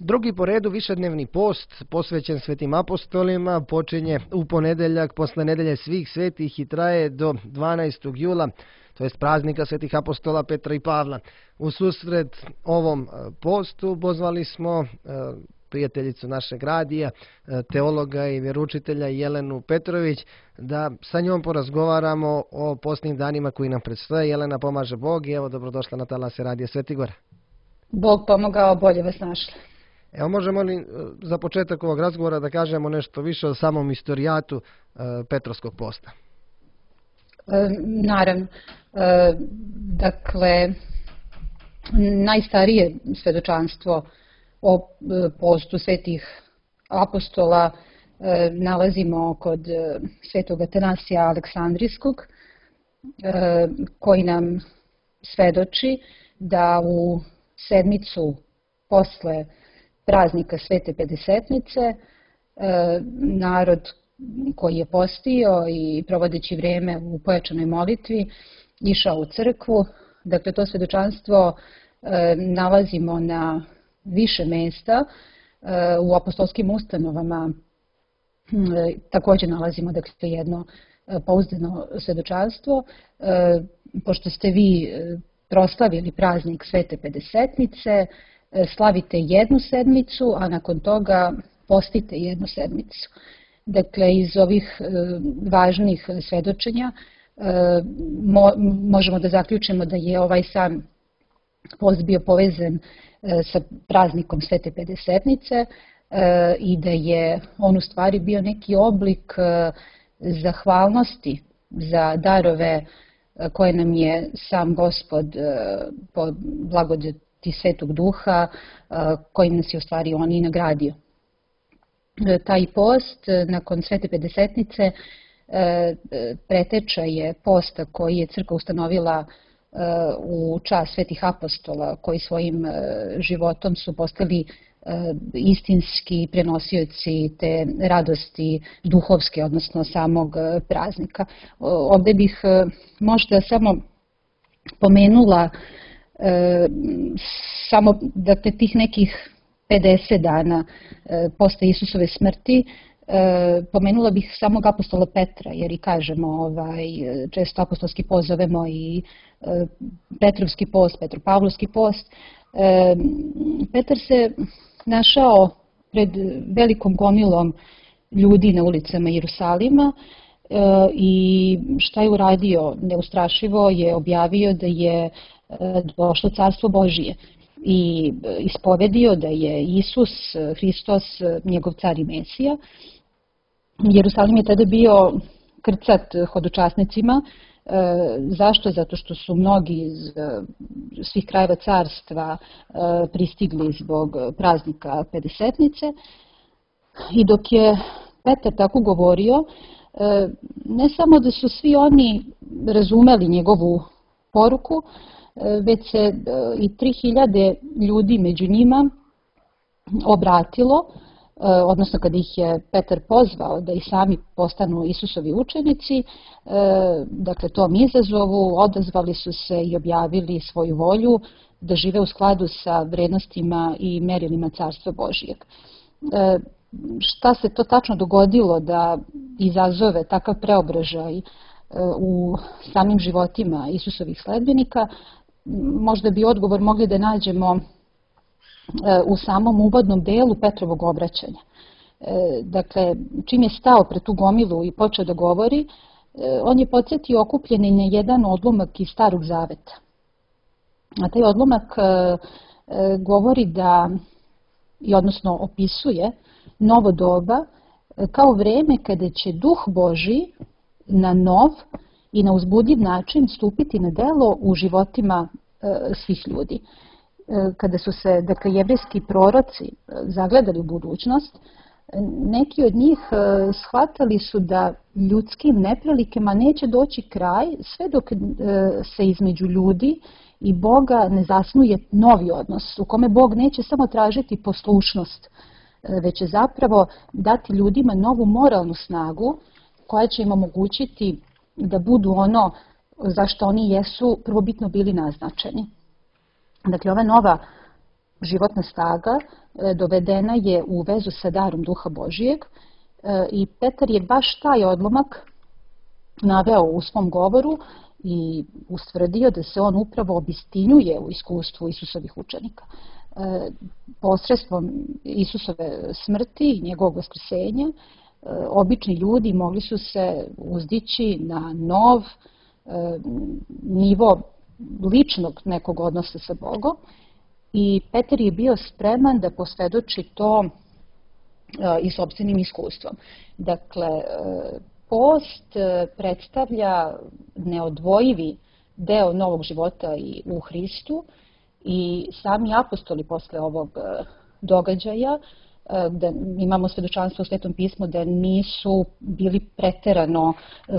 Drugi po redu višednevni post posvećen svetim apostolima počinje u ponedeljak posle nedelje svih svetih i traje do 12. jula, to jest praznika svetih apostola Petra i Pavla. U susret ovom postu pozvali smo prijateljicu našeg radija, teologa i vjeroučitelja Jelenu Petrović, da sa njom porazgovaramo o postnim danima koji nam predstoje. Jelena, pomaže Bog i evo dobrodošla na talase radija Svetigora. Bog pomogao, bolje vas našli. Evo, možemo li za početak ovog razgovora da kažemo nešto više o samom istorijatu Petrovskog posta? Naravno. Dakle, najstarije svedočanstvo o postu svetih apostola nalazimo kod svetog Atanasija Aleksandrijskog, koji nam svedoči da u sedmicu posle praznika Svete Pedesetnice narod koji je postio i provodeći vrijeme u pojačanoj molitvi išao u crkvu. Dakle, to svedočanstvo nalazimo na više mjesta u apostolskim ustanovama. Također nalazimo dakle jedno pouzdano svedočanstvo. Pošto ste vi proslavili praznik Svete Pedesetnice, slavite jednu sedmicu, a nakon toga postite jednu sedmicu. Dakle, iz ovih važnih svedočenja možemo da zaključimo da je ovaj sam post bio povezan sa praznikom Svete Pedesetnice i da je on u stvari bio neki oblik zahvalnosti za darove koje nam je sam Gospod po blagodati Svetog Duha, kojim nas je u stvari on i nagradio. Taj post nakon Svete Pedesetnice preteča je posta koji je crkva ustanovila u čast svetih apostola, koji svojim životom su postali istinski prenosioci te radosti duhovske, odnosno samog praznika. Ovdje bih možda samo pomenula samo dakle, tih nekih 50 dana posle Isusove smrti. Pomenula bih samog apostola Petra, jer i kažemo, često apostolski post zovemo i Petrovski post, Petropavlovski post. Petar se našao pred velikom gomilom ljudi na ulicama Jerusalima i šta je uradio? Neustrašivo je objavio da je došlo carstvo Božije i ispovedio da je Isus Hristos njegov car i Mesija. Jerusalim je tada bio krcat hodočasnicima. Zašto? Zato što su mnogi iz svih krajeva carstva pristigli zbog praznika Pedesetnice. I dok je Petar tako govorio, ne samo da su svi oni razumeli njegovu poruku, već se i 3000 ljudi među njima obratilo, odnosno kada ih je Petar pozvao da i sami postanu Isusovi učenici, dakle tom izazovu odazvali su se i objavili svoju volju da žive u skladu sa vrednostima i merilima Carstva Božijeg. Šta se to tačno dogodilo da izazove takav preobražaj u samim životima Isusovih sledbenika? Možda bi odgovor mogli da nađemo u samom uvodnom delu Petrovog obraćanja. Dakle, čim je stao pred tu gomilu i počeo da govori, on je podsjetio okupljeni na jedan odlomak iz Starog Zaveta. A taj odlomak govori da, odnosno opisuje novo doba kao vreme kada će Duh Božji na nov i na uzbudljiv način stupiti na delo u životima svih ljudi. Kada su se, dakle, jevrejski proroci zagledali u budućnost, neki od njih shvatali su da ljudskim neprilikama neće doći kraj sve dok se između ljudi i Boga ne zasnuje novi odnos u kome Bog neće samo tražiti poslušnost, već će zapravo dati ljudima novu moralnu snagu koja će im omogućiti da budu ono za što oni jesu prvobitno bili naznačeni. Dakle, ova nova životna snaga dovedena je u vezu sa darom Duha Božijeg i Petar je baš taj odlomak naveo u svom govoru i ustvrdio da se on upravo obistinjuje u iskustvu Isusovih učenika. Posredstvom Isusove smrti i njegovog vaskrsenja obični ljudi mogli su se uzdići na nov nivo ličnog nekog odnosa sa Bogom i Petar je bio spreman da posvedoči to i sopstvenim iskustvom. Dakle, post predstavlja neodvojivi deo novog života i u Hristu i sami apostoli posle ovog događaja, da imamo svedočanstvo u Svetom pismu da nisu bili preterano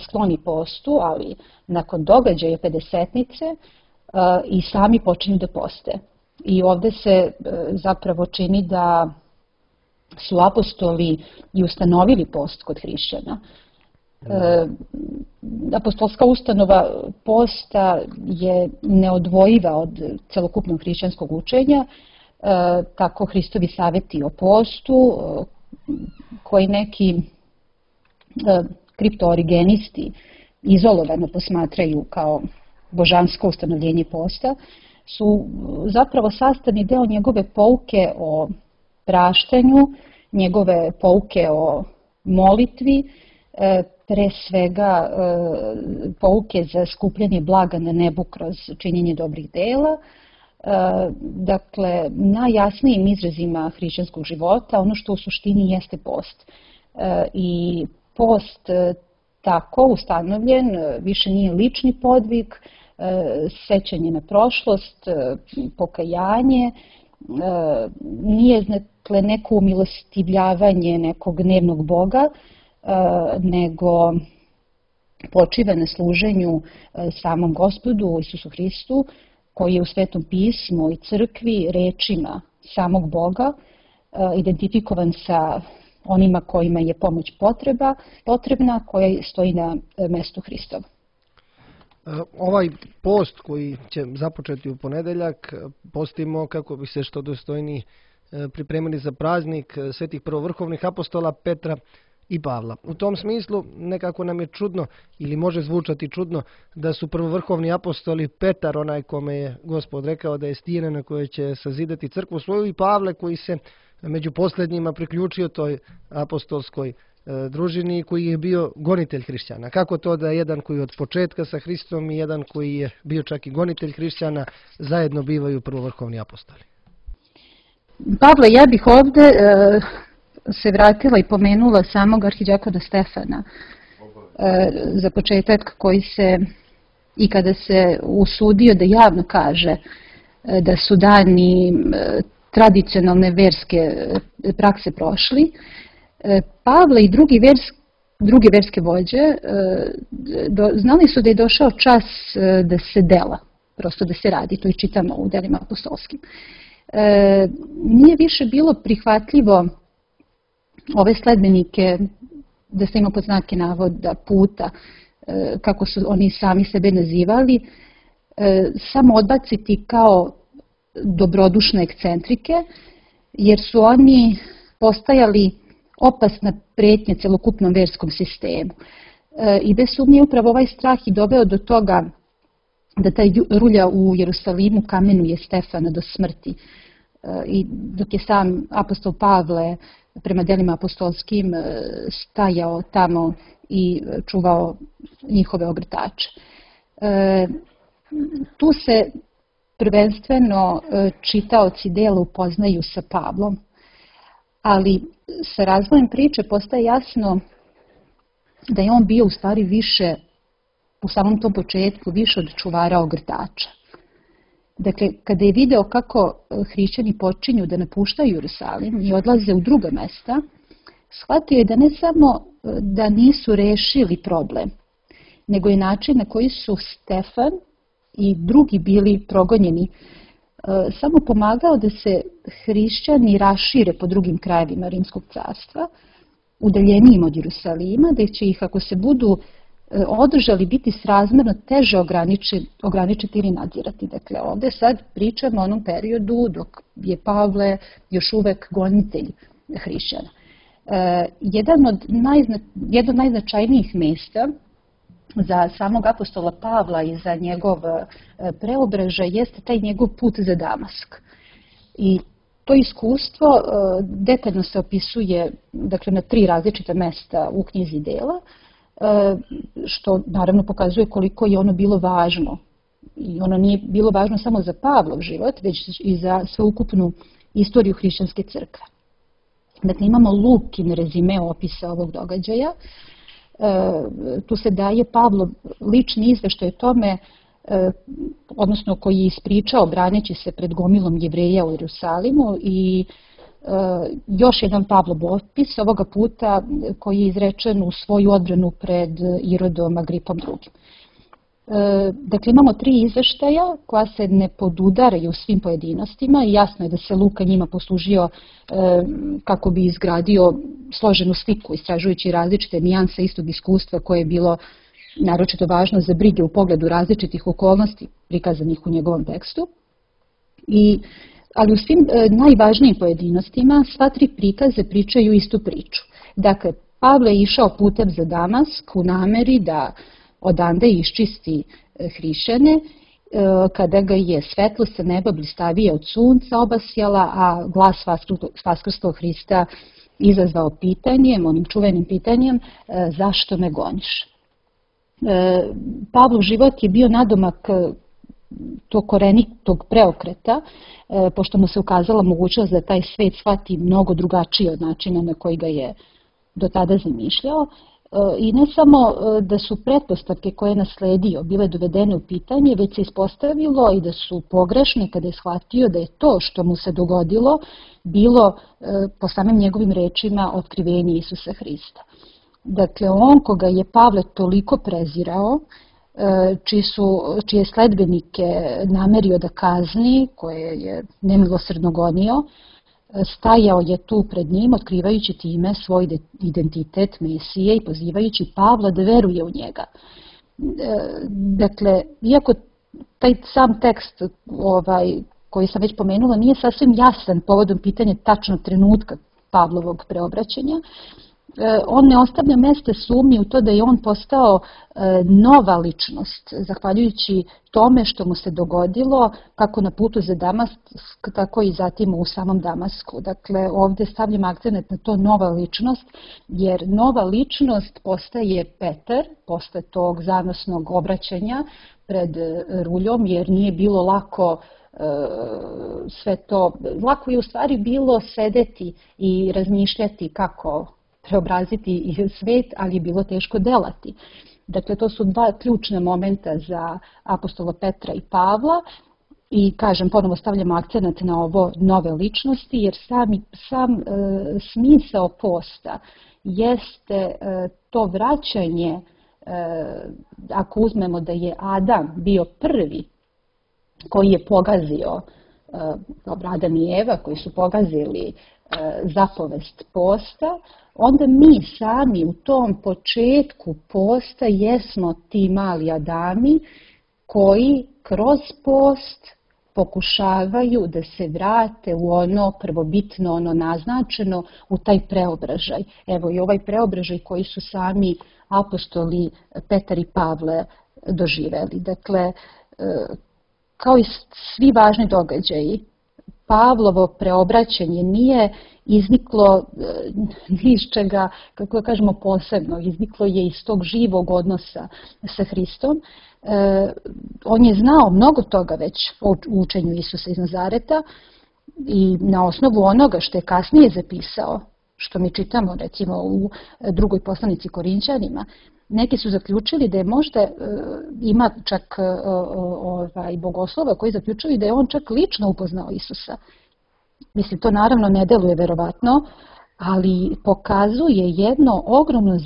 skloni postu, ali nakon događaja Pedesetnice i sami počinju da poste. I ovde se zapravo čini da su apostoli i ustanovili post kod hrišćana. Apostolska ustanova posta je neodvojiva od celokupnog hrišćanskog učenja, tako Hristovi saveti o postu, koji neki kriptoorigenisti izolovano posmatraju kao božansko ustanovljenje posta, su zapravo sastavni deo njegove pouke o praštanju, njegove pouke o molitvi, pre svega pouke za skupljanje blaga na nebu kroz činjenje dobrih dela. Dakle, najjasnijim izrazima hrišćanskog života, ono što u suštini jeste post. I post tako ustanovljen više nije lični podvig, sećanje na prošlost, pokajanje, nije dakle neko umilostivljavanje nekog dnevnog Boga, nego počiva na služenju samom Gospodu Isusu Hristu, koji je u Svetom pismu i crkvi rečima samog Boga identifikovan sa onima kojima je pomoć potrebna, koja stoji na mestu Hristova. Ovaj post koji će započeti u ponedeljak postimo kako bi se što dostojniji pripremili za praznik svetih prvovrhovnih apostola Petra i Pavla. U tom smislu nekako nam je čudno ili može zvučati čudno da su prvovrhovni apostoli Petar, onaj kome je Gospod rekao da je stijena na kojoj će sazidati crkvu svoju, i Pavle koji se među posljednjima priključio toj apostolskoj družini, koji je bio gonitelj hrišćana. Kako to da jedan koji je od početka sa Hristom i jedan koji je bio čak i gonitelj hrišćana zajedno bivaju prvovrhovni apostoli? Pavle, ja bih ovde se vratila i pomenula samog arhidijakona Stefana. Za početak, koji se i kada se usudio da javno kaže da su dani tradicionalne verske prakse prošli, Pavle i druge verske vođe znali su da je došao čas da se dela, prosto da se radi, to i čitamo u delima apostolskim. Nije više bilo prihvatljivo ove sledbenike, da se ima pod znake navoda puta, kako su oni sami sebe nazivali, samo odbaciti kao dobrodušne ekscentrike, jer su oni postajali opasna pretnja celokupnom verskom sistemu. I bez sumnje upravo ovaj strah i doveo do toga da taj rulja u Jerusalimu kamenuje Stefana do smrti. I dok je sam apostol Pavle prema delima apostolskim stajao tamo i čuvao njihove ogrtače. Tu se prvenstveno čitaoci dela upoznaju sa Pavlom, ali sa razvojem priče postaje jasno da je on bio u stvari više, u samom tom početku, više od čuvara ogrtača. Dakle, kada je video kako hrišćani počinju da napuštaju Jerusalim i odlaze u druga mesta, shvatio je da ne samo da nisu rešili problem, nego je način na koji su Stefan i drugi bili progonjeni samo pomagao da se hrišćani rašire po drugim krajevima Rimskog carstva, udaljenijim od Jerusalima, da će ih, ako se budu održali biti srazmjerno teže ograničiti ili nadzirati. Dakle, ovdje sad pričamo o onom periodu dok je Pavle još uvek gonitelj hrišćana. Jedno od najznačajnijih mjesta za samog apostola Pavla i za njegov preobražaj jeste taj njegov put za Damask. I to iskustvo detaljno se opisuje, dakle, na 3 različita mesta u knjizi Dela, što naravno pokazuje koliko je ono bilo važno. I ono nije bilo važno samo za Pavlov život, već i za sveukupnu istoriju hrišćanske crkve. Dakle, imamo Lukin rezime opisa ovog događaja. Tu se daje Pavlov lični izveštaj o tome, odnosno koji je ispričao braneći se pred gomilom Jevreja u Jerusalimu, i još jedan Pavlov opis ovoga puta koji je izrečen u svoju odbranu pred Irodom Agripom II. Dakle, imamo 3 izveštaja koja se ne podudaraju u svim pojedinostima i jasno je da se Luka njima poslužio kako bi izgradio složenu sliku, istražujući različite nijanse istog iskustva koje je bilo naročito važno za brige u pogledu različitih okolnosti prikazanih u njegovom tekstu. Ali u svim najvažnijim pojedinostima sva 3 prikaze pričaju istu priču. Dakle, Pavle je išao putem za Damask u nameri da odande iščisti hrišćane, kada ga je svetlo sa neba blistavije od sunca obasjala, a glas vaskrslog Hrista izazvao pitanjem, onim čuvenim pitanjem, zašto me goniš? Pavlov život je bio nadomak tog korenitog preokreta, pošto mu se ukazala mogućnost da taj svet shvati mnogo drugačije od načina na koji ga je do tada zamišljao. I ne samo da su pretpostavke koje je nasledio bile dovedene u pitanje, već se ispostavilo i da su pogrešne kada je shvatio da je to što mu se dogodilo bilo, po samim njegovim rečima, otkrivenje Isusa Hrista. Dakle, on koga je Pavle toliko prezirao, čije sledbenike namerio da kazni, koje je nemilosrdno gonio, stajao je tu pred njim, otkrivajući time svoj identitet Mesije i pozivajući Pavla da veruje u njega. Dakle, iako taj sam tekst koji sam već pomenula nije sasvim jasan povodom pitanja tačnog trenutka Pavlovog preobraćanja, on ne ostavlja mesta sumnji u to da je on postao nova ličnost, zahvaljujući tome što mu se dogodilo kako na putu za Damask, tako i zatim u samom Damasku. Dakle, ovdje stavljam akcent na to nova ličnost, jer nova ličnost postaje Petar, posle tog zanosnog obraćanja pred ruljom, jer nije bilo lako sve to, lako je u stvari bilo sedeti i razmišljati kako preobraziti svet, ali je bilo teško delati. Dakle, to su 2 ključna momenta za apostola Petra i Pavla i, kažem, ponovo stavljamo akcent na ovo nove ličnosti, jer sam smisao posta jeste to vraćanje, ako uzmemo da je Adam bio prvi koji je pogazio, Adam i Eva koji su pogazili zapovest posta, onda mi sami u tom početku posta jesmo ti mali Adami koji kroz post pokušavaju da se vrate u ono prvobitno, ono naznačeno, u taj preobražaj. Evo i ovaj preobražaj koji su sami apostoli Petar i Pavle doživeli. Dakle, kao i svi važni događaji, Pavlovo preobraćanje nije izniklo ni iz čega, kako da kažemo, posebno. Izniklo je iz tog živog odnosa sa Hristom. On je znao mnogo toga već o učenju Isusa iz Nazareta i na osnovu onoga što je kasnije zapisao, što mi čitamo recimo u drugoj poslanici Korinćanima, neki su zaključili da je možda, ima čak bogoslova koji zaključuju da je on čak lično upoznao Isusa. Mislim, to naravno ne deluje verovatno, ali pokazuje jedno ogromno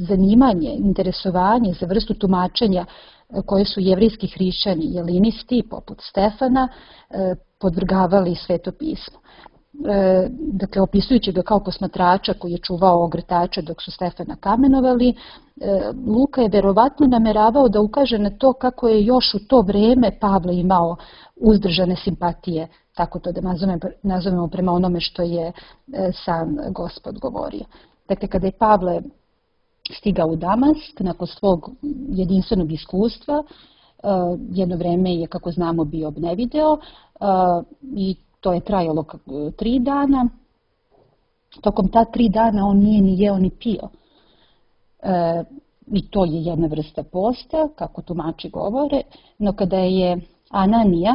zanimanje, interesovanje za vrstu tumačenja koje su jevrijski hrišćani, jelinisti, poput Stefana, podvrgavali Sveto pismo. dakle opisujući ga kao posmatrača koji je čuvao ogrtače dok su Stefana kamenovali, Luka je verovatno nameravao da ukaže na to kako je još u to vreme Pavle imao uzdržane simpatije, tako to da nazovemo prema onome što je sam Gospod govorio. Dakle, kada je Pavle stigao u Damask, nakon svog jedinstvenog iskustva, jedno vreme je, kako znamo, bio obnevideo i to je trajalo 3 dana. Tokom ta 3 dana on nije ni jeo ni pio. I to je jedna vrsta posta, kako tumači govore, no kada je Ananija,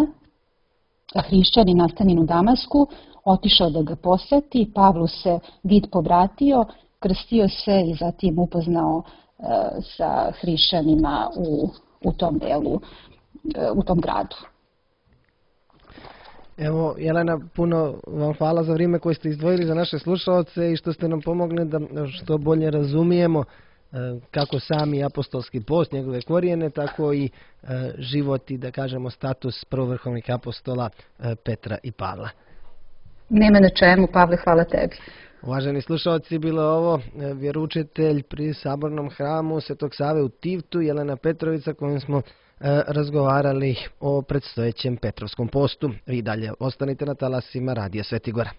hrišćanin nastanjen u Damasku, otišao da ga poseti, Pavlu se vid povratio, krstio se i zatim upoznao sa hrišćanima u tom delu, u tom gradu. Evo, Jelena, puno vam hvala za vrijeme koje ste izdvojili za naše slušalce i što ste nam pomogli da što bolje razumijemo kako sami apostolski post, njegove korijene, tako i život i, da kažemo, status prvovrhovnih apostola Petra i Pavla. Nema na čemu, Pavle, hvala tebi. Uvaženi slušalci, bilo je ovo vjeroučitelj pri Sabornom hramu Svetog Save u Tivtu, Jelena Petrovica, kojom smo razgovarali o predstojećem Petrovskom postu. Vi dalje ostanite na talasima Radija Sveti Gora.